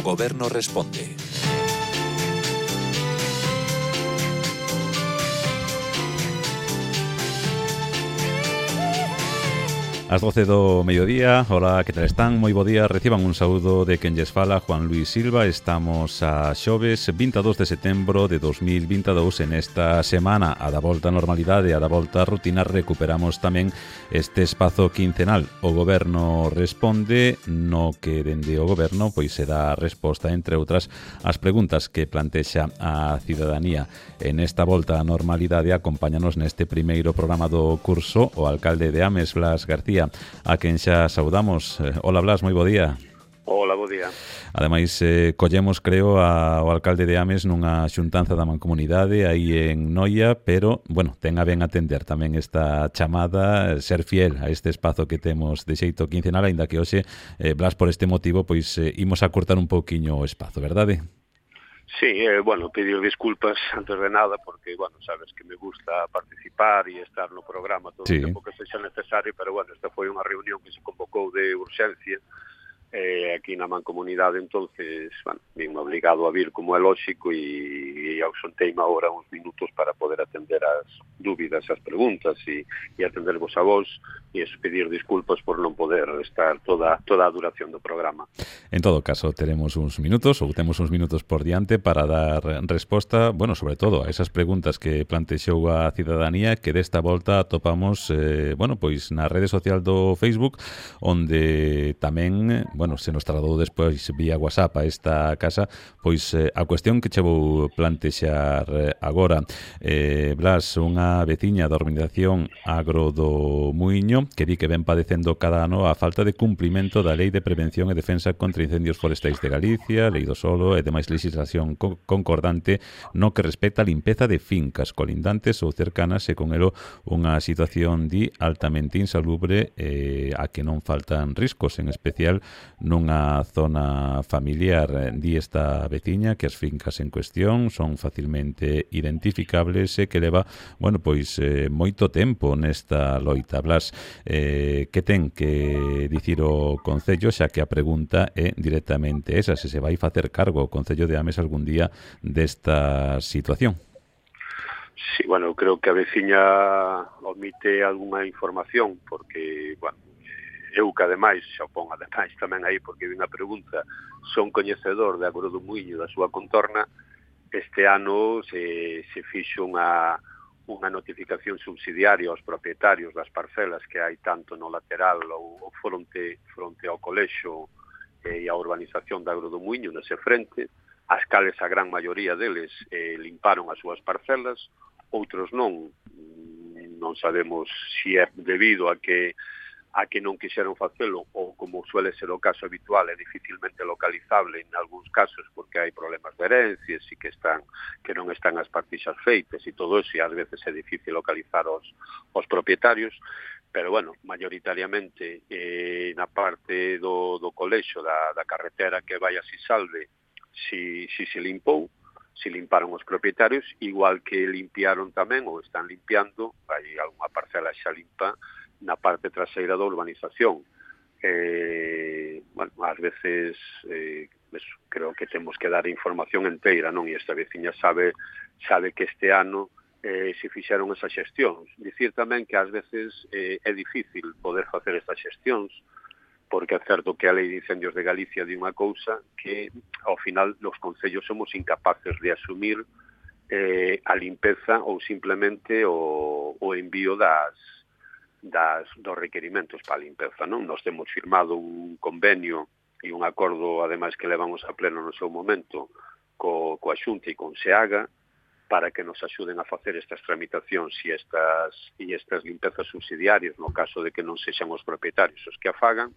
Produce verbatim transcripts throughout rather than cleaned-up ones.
Goberno responde. As doce do mediodía, hola, que tal están? Moi bo día, reciban un saúdo de quen lles fala, Juan Luis Silva. Estamos a xoves vinte e dous de setembro de dos mil vinte e dous. En esta semana, a da volta á normalidade, a da volta á rutina, recuperamos tamén este espazo quincenal. O Goberno responde, no que dende o Goberno pois se dá resposta, entre outras, ás preguntas que plantexa a cidadanía. En esta volta á normalidade, acompáñanos neste primeiro programa do curso o alcalde de Ames, Blas García, a quen xa saudamos. Hola Blas, moi bo día. Hola, bo día. Ademais, eh, collemos, creo, ao alcalde de Ames nunha xuntanza da Mancomunidade aí en Noia, pero, bueno, ten a ben atender tamén esta chamada, ser fiel a este espazo que temos de xeito quincenal, aínda que hoxe, eh, Blas, por este motivo, pois eh, imos a cortar un pouquiño o espazo, verdade? Sí, eh, bueno, pedir disculpas antes de nada porque, bueno, sabes que me gusta participar e estar no programa todo sí. o tempo que sexa necesario, pero, bueno, esta foi unha reunión que se convocou de urxencia eh, aquí na Mancomunidade, entonces, bueno, vim obligado a vir como é lóxico e, e ausenteime agora uns minutos para poder atender as dúbidas, as preguntas e, e atendervos a vos e pedir disculpas por non poder estar toda toda a duración do programa. En todo caso, teremos uns minutos ou temos uns minutos por diante para dar resposta, bueno, sobre todo a esas preguntas que plantexou a cidadanía, que desta volta atopamos, eh, bueno, pois na rede social do Facebook, onde tamén, bueno, se nos trasladou despois vía WhatsApp a esta casa, pois eh, a cuestión que che vou plantexar agora. Eh, Blas, unha veciña da organización Agro do Muiño, que di que ven padecendo cada ano a falta de cumprimento da Lei de Prevención e Defensa contra Incendios Forestais de Galicia, Lei do Solo e demais legislación co concordante no que respecta a limpeza de fincas colindantes ou cercanas e con elo unha situación di altamente insalubre eh, a que non faltan riscos, en especial nunha zona familiar. Di esta veciña que as fincas en cuestión son facilmente identificables e que leva, bueno, pois eh, moito tempo nesta loita. Blas, eh, que ten que dicir o Concello, xa que a pregunta é directamente esa, se se vai facer cargo o Concello de Ames algún día desta situación. Sí, bueno, eu creo que a veciña omite algunha información, porque, bueno, eu que ademais, xa pon ademais tamén aí porque vi unha pregunta, son coñecedor de Agro do Muiño da súa contorna. Este ano se, se fixo unha unha notificación subsidiaria aos propietarios das parcelas que hai tanto no lateral ou, ou fronte, fronte ao colexo eh, e a urbanización da Agro do Muiño nese frente, as cales a gran maioría deles eh, limparon as súas parcelas, outros non, non sabemos se é debido a que a que non quixeron facelo ou, como suele ser o caso habitual, é dificilmente localizable en algúns casos porque hai problemas de herencias e que están que non están as partixas feitas e todo eso, e ás veces é difícil localizar os, os propietarios, pero, bueno, mayoritariamente eh, na parte do, do colexo da, da carretera que vai a Sisalve, si, si se limpou, si limparon os propietarios, igual que limpiaron tamén ou están limpiando, hai algunha parcela xa limpa na parte traseira da urbanización. Eh, bueno, ás veces eh, eso, creo que temos que dar información enteira, non? E esta veciña sabe sabe que este ano eh, se fixeron esas xestións. Dicir tamén que ás veces eh, é difícil poder facer estas xestións, porque é certo que a Lei de Incendios de Galicia di unha cousa que, ao final, os concellos somos incapaces de asumir eh, a limpeza ou simplemente o, o envío das das dos requerimentos para a limpeza, non? Nós temos firmado un convenio e un acordo, ademais, que levamos a pleno no seu momento co, coa Xunta e con SEAGA para que nos axuden a facer estas tramitacións e estas, e estas limpezas subsidiarias no caso de que non sexan os propietarios os que a fagan,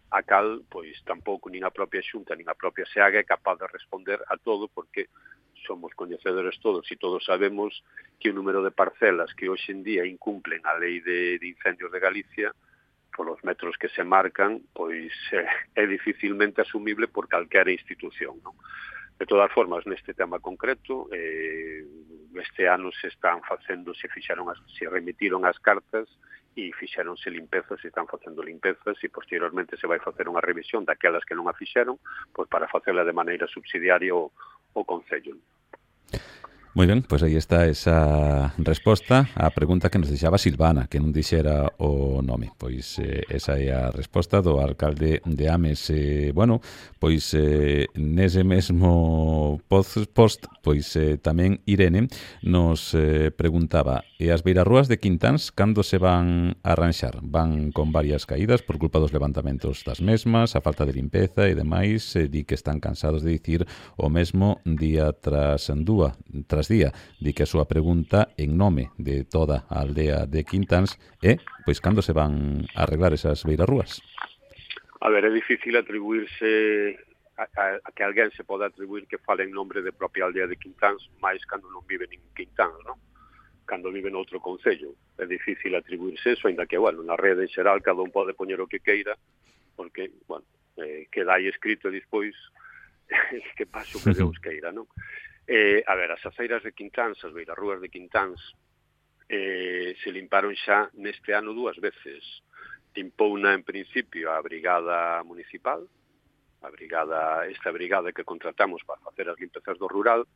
a cal, pois, tampouco nin a propia Xunta nin a propia SEAGA é capaz de responder a todo porque somos coñecedores todos e todos sabemos que o número de parcelas que hoxe en día incumplen a Lei de, de Incendios de Galicia polos metros que se marcan, pois é, é dificilmente asumible por calquera institución, non? De todas formas, neste tema concreto, eh, este ano se están facendo, se fixaron, as, se remitiron as cartas e fixeronse limpezas, e están facendo limpezas, e posteriormente se vai facer unha revisión daquelas que non a fixeron, pois para facela de maneira subsidiaria o, o Concello. Moi ben, pois aí está esa resposta á pregunta que nos deixaba Silvana, que non dixera o nome. Pois eh, esa é a resposta do alcalde de Ames. Eh, bueno, pois eh, nese mesmo post, post pois eh, tamén Irene nos eh, preguntaba: e as beirarrúas de Quintáns cando se van a arranxar? Van con varias caídas por culpa dos levantamentos das mesmas, a falta de limpeza e demais. Eh, di que están cansados de dicir o mesmo día tras dúa, tras día. Di que a súa pregunta en nome de toda a aldea de Quintáns é, pois, cando se van a arreglar esas beirarrúas? A ver, é difícil atribuirse a, a, a que alguén se poda atribuir que fale en nombre de propia aldea de Quintáns, máis cando non vive nin Quintáns, non? Cando vive noutro concello. É difícil atribuirse eso, ainda que, bueno, na rede en xeral cada un pode poñer o que queira, porque, bueno, eh, queda aí escrito despois que pase o que Deus queira, non? Eh, a ver, as aceiras de Quintáns, as beirarrúas de Quintáns, eh, se limparon xa neste ano dúas veces. Impouna en principio a brigada municipal, a brigada, esta brigada que contratamos para facer as limpezas do rural,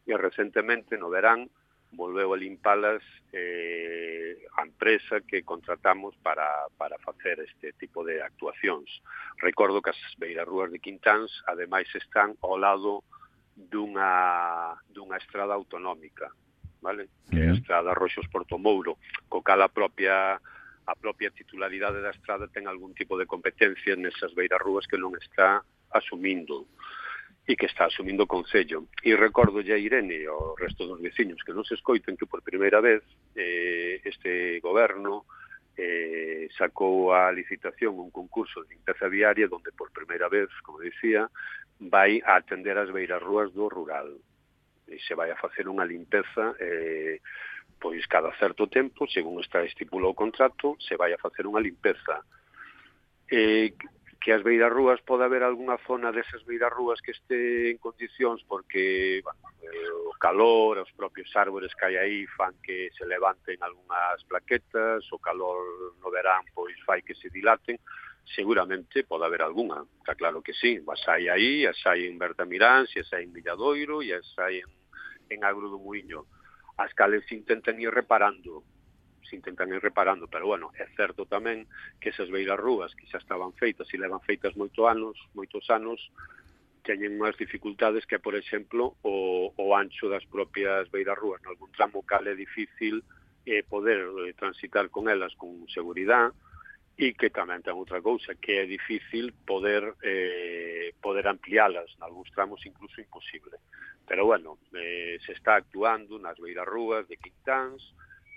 e recentemente no verán volveu a limpalas eh, a empresa que contratamos para, para facer este tipo de actuacións. Recordo que as beirarrúas de Quintáns ademais están ao lado dunha, dunha estrada autonómica, vale? Que é a estrada Roxos Porto Mouro, co cal a propia a propia titularidade da estrada ten algún tipo de competencia nesas beirarrúas que non está asumindo e que está asumindo o Concello. E recordo a Irene e ao resto dos veciños que non se escoiten que por primeira vez eh, este goberno eh, sacou a licitación un concurso de limpeza viaria onde por primeira vez, como dicía, vai a atender as beirarrúas do rural e se vai a facer unha limpeza eh, pois cada certo tempo, según está estipulado o contrato, se vai a facer unha limpeza. Eh, que as beirarrúas pode haber algunha zona desas beirarrúas que este en condicións porque bueno, eh, o calor, os propios árbores que hai aí fan que se levanten algunhas plaquetas, o calor no verán pois fai que se dilaten. Seguramente pode haber algunha, está claro que sí, as hai aí, as hai en Bertamiráns, as hai en Villadoiro e as hai en, en Agro do Muiño, as cales se intentan ir reparando, se intentan ir reparando, pero bueno, é certo tamén que esas beirarrúas que xa estaban feitas e levan feitas moito anos, moitos anos, teñen unhas dificultades que, por exemplo, o, o ancho das propias beirarrúas, nalgún tramo cal é difícil eh, poder eh, transitar con elas con seguridade, e que tamén ten outra cousa, que é difícil poder eh, poder ampliálas, nalgúns tramos incluso imposible. Pero bueno, eh, se está actuando nas beirarrúas de Quintáns,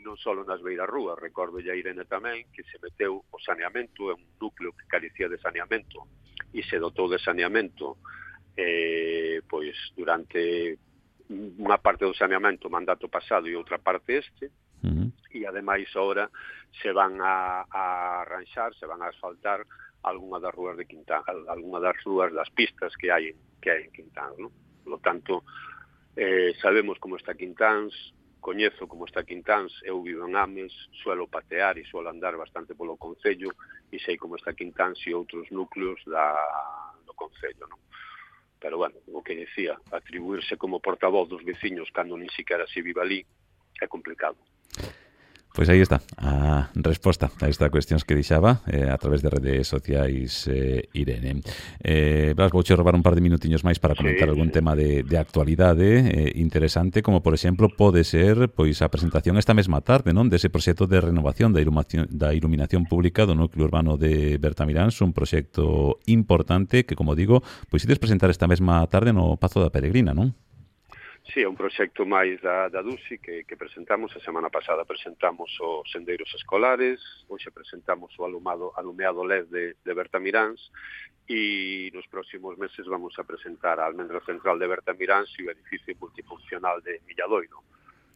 non só nas beirarrúas, recordo a Irene tamén, que se meteu o saneamento, é un núcleo que carecía de saneamento, e se dotou de saneamento eh, pois durante unha parte do saneamento mandato pasado e outra parte este, uh-huh. E ademais agora se van a, a arranxar, se van a asfaltar algunha das rúas de Quintán, algunha das rúas das pistas que hai que hai en Quintán, ¿no? Por lo tanto, eh, sabemos como está Quintáns, coñezo como está Quintáns, eu vivo en Ames, suelo patear e suelo andar bastante polo Concello e sei como está Quintáns e outros núcleos da, do Concello, ¿no? Pero, bueno, o que decía, atribuirse como portavoz dos veciños cando nin siquiera se vive ali é complicado. Pois aí está a resposta a esta cuestión que dixaba eh, a través de redes sociais eh, Irene. Eh, Blas, vouche robar un par de minutiños máis para comentar sí, algún sí. tema de, de actualidade eh, interesante, como por exemplo pode ser pois a presentación esta mesma tarde, non, dese proxecto de renovación da iluminación, da iluminación pública do núcleo urbano de Bertamiráns, un proxecto importante que, como digo, pois ides presentar esta mesma tarde no Pazo da Peregrina, non? Sí, é un proxecto máis da, da DUSI que, que presentamos. A semana pasada presentamos os sendeiros escolares, hoxe presentamos o alumado, alumeado L E D de, de Bertamiráns e nos próximos meses vamos a presentar a almendra central de Bertamiráns e o edificio multifuncional de Villadoiro.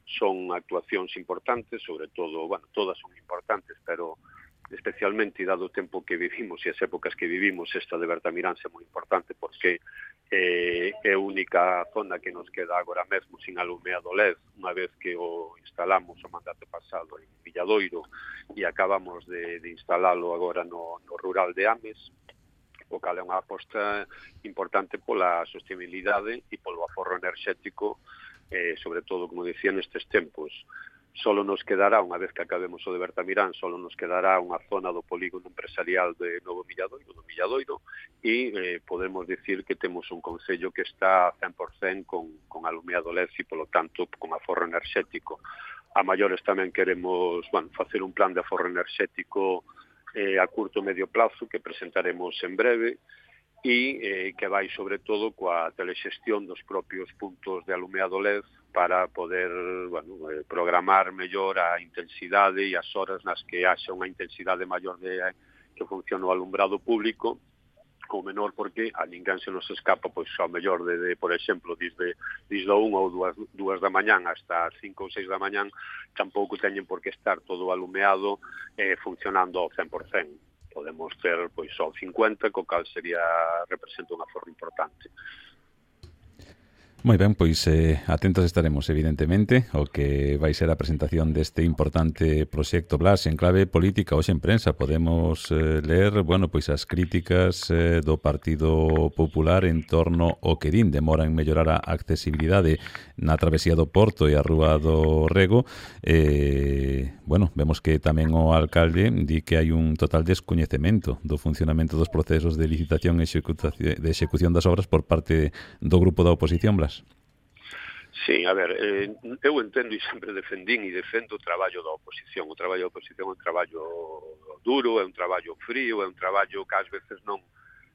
Son actuacións importantes, sobre todo, bueno, todas son importantes, pero especialmente dado o tempo que vivimos e as épocas que vivimos, esta de Bertamirán é moi importante porque eh, é a única zona que nos queda agora mesmo sin alumeado L E D, unha vez que o instalamos o mandato pasado en Villadoiro e acabamos de, de instalalo agora no, no rural de Ames, o cal é unha aposta importante pola sostenibilidade e polo aforro enerxético, eh, sobre todo, como dicía, nestes tempos. Solo nos quedará, unha vez que acabemos o de Bertamirán, solo nos quedará unha zona do polígono empresarial de Novo Milladoiro, do Milladoiro, e eh, podemos dicir que temos un concello que está cen por cen con, con alumeado L E D e, polo tanto, con aforro enerxético. A maiores tamén queremos, bueno, facer un plan de aforro enerxético eh, a curto e medio plazo que presentaremos en breve, e eh, que vai sobre todo coa telexestión dos propios puntos de alumeado L E D para poder, bueno, eh, programar mellor a intensidade e as horas nas que haxa unha intensidade maior de que funcione o alumbrado público ou menor, porque a ninguén se nos escapa, pois ao mellor de, de por exemplo, desde, desde a unha ou dúas, dúas da mañán hasta as cinco ou seis da mañán, tampouco teñen por que estar todo alumeado eh, funcionando ao cen por cen. Podemos ter pois só cincuenta, co cal sería representa unha forma importante. Moi ben, pois eh, atentos estaremos, evidentemente, o que vai ser a presentación deste importante proxecto Blas en clave política. Hoxe en prensa podemos eh, ler, bueno, pois as críticas eh, do Partido Popular en torno ao que din demora en mellorar a accesibilidade na travesía do Porto e a Rúa do Rego. Eh, bueno, vemos que tamén o alcalde di que hai un total descoñecemento do funcionamento dos procesos de licitación e de execución das obras por parte do grupo da oposición, Blas. Sí, a ver, eh, eu entendo e sempre defendín e defendo o traballo da oposición. O traballo da oposición é un traballo duro, é un traballo frío, é un traballo que ás veces non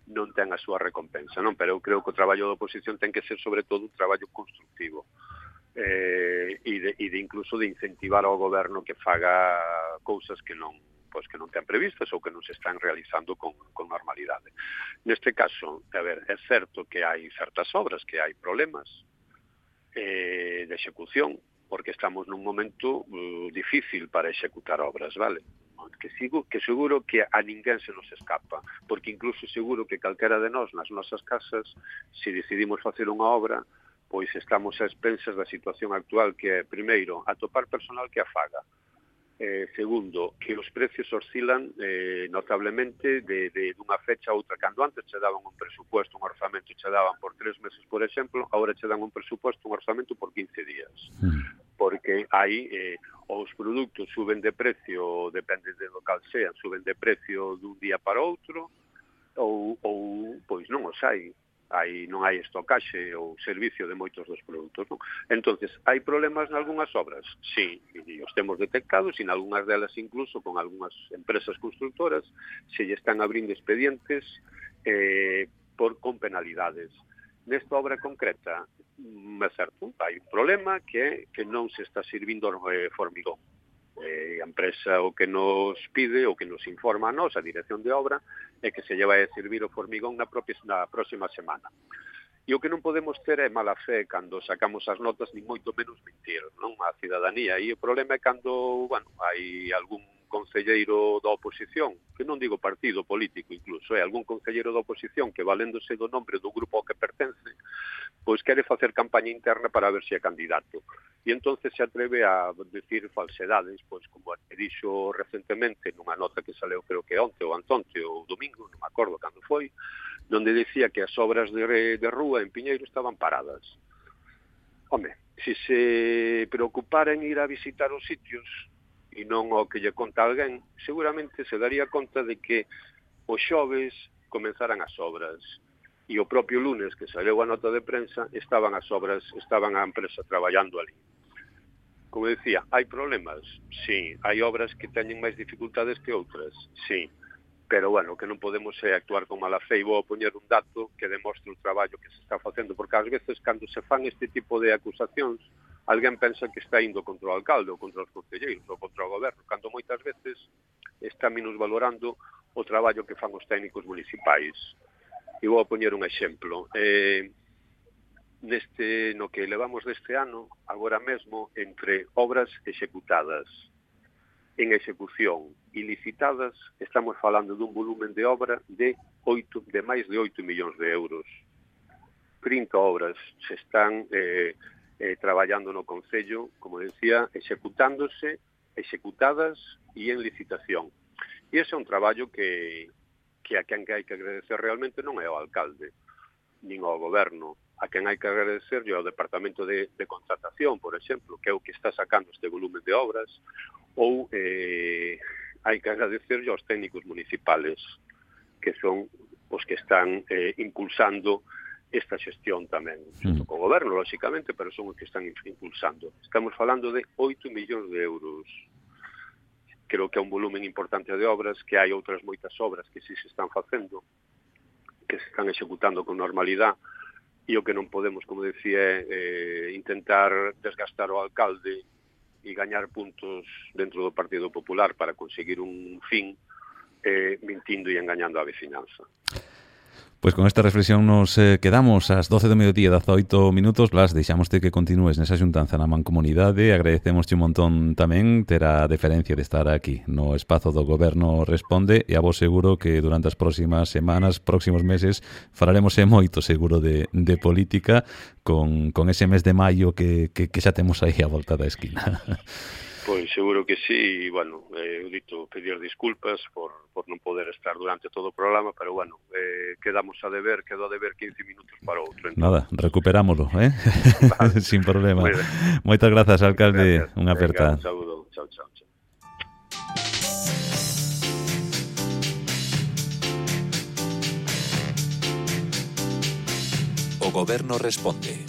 non ten a súa recompensa, non? Pero eu creo que o traballo da oposición ten que ser sobre todo un traballo constructivo eh, e, de, e de incluso de incentivar ao goberno que faga cousas que non pois que non ten previstas ou que non se están realizando con, con normalidade. Neste caso, a ver, é certo que hai certas obras que hai problemas eh, de execución, porque estamos nun momento uh, difícil para executar obras, vale? Que, sigo, que seguro que a ninguén se nos escapa, porque incluso seguro que calquera de nós nas nosas casas, se decidimos facer unha obra, pois estamos a expensas da situación actual, que é, primeiro, atopar personal que a faga, Eh, segundo, que os precios oscilan eh, notablemente de, de dunha fecha a outra. Cando antes che daban un presupuesto, un orzamento, che daban por tres meses, por exemplo, agora che dan un presupuesto, un orzamento por quince días. Mm. Porque aí eh, os produtos suben de precio, depende de local sean, suben de precio dun día para outro, ou, ou pois non os hai. Hai, non hai estocaxe ou servicio de moitos dos produtos, non? Entonces, hai problemas nalgúnas obras? Sí, e os temos detectados, e nalgúnas delas incluso con algunhas empresas constructoras se lle están abrindo expedientes eh, por con penalidades. Nesta obra concreta, é certo, hai un problema que é que non se está servindo eh, formigón. Eh, a empresa o que nos pide, o que nos informa a nos, a dirección de obra, é que se lle vai a servir o formigón na, propia, na próxima semana. E o que non podemos ter é mala fe cando sacamos as notas, ni moito menos mentir, non? A cidadanía. E o problema é cando, bueno, hai algún concelleiro da oposición, que non digo partido político incluso, é algún concelleiro da oposición que valéndose do nombre do grupo ao que pertence, pois quere facer campaña interna para ver se é candidato. E entonces se atreve a decir falsedades, pois como dixo recentemente nunha nota que saleu creo que onte ou antonte ou domingo, non me acordo cando foi, donde decía que as obras de, de rúa en Piñeiro estaban paradas. Home, se se preocupara en ir a visitar os sitios e non o que lle conta alguén, seguramente se daría conta de que os xoves comenzaran as obras e o propio lunes que saleu a nota de prensa estaban as obras, estaban a empresa traballando ali. Como decía, hai problemas? Sí. Hai obras que teñen máis dificultades que outras? Sí. Pero, bueno, que non podemos é actuar con mala fe, e vou a poñer un dato que demostre o traballo que se está facendo, porque ás veces, cando se fan este tipo de acusacións, alguén pensa que está indo contra o alcalde ou contra os concelleiros ou contra o goberno, cando moitas veces está minusvalorando o traballo que fan os técnicos municipais. E vou a poñer un exemplo. Eh, neste, no que levamos deste ano, agora mesmo, entre obras executadas en execución ilicitadas, estamos falando dun volumen de obra de oito, de máis de oito millóns de euros. trinta obras se están eh, eh, traballando no Concello, como decía, executándose, executadas e en licitación. E ese é un traballo que, que a quen que hai que agradecer realmente non é ao alcalde, nin ao goberno. A quen hai que agradecer ao Departamento de, de Contratación, por exemplo, que é o que está sacando este volumen de obras, ou eh, hai que agradecer aos técnicos municipales, que son os que están eh, impulsando esta xestión tamén, xunto co goberno, lóxicamente, pero son os que están impulsando. Estamos falando de oito millóns de euros. Creo que é un volumen importante de obras, que hai outras moitas obras que sí se están facendo, que se están executando con normalidade, e o que non podemos, como decía, é eh, intentar desgastar o alcalde e gañar puntos dentro do Partido Popular para conseguir un fin eh, mintindo e engañando a veciñanza. Pois con esta reflexión nos eh, quedamos ás doce do mediodía, dezaoito minutos. Blas, deixámoste que continúes nesa xuntanza na Mancomunidade. Agradecémosche un montón tamén ter a deferencia de estar aquí no espazo do Goberno Responde, e a vos seguro que durante as próximas semanas, próximos meses, falaremos e moito seguro de, de política con, con ese mes de maio que, que, que xa temos aí a volta da esquina. Pois seguro que sí, e, bueno, eh, eu dito pedir disculpas por, por non poder estar durante todo o programa, pero, bueno, eh, quedamos a deber, quedou a deber quince minutos para outro. Entón. Nada, recuperámoslo, eh? Vale. Sin problema. Moitas grazas, alcalde. Unha aperta. Un saúdo. Chao, chao, chao. O Goberno Responde.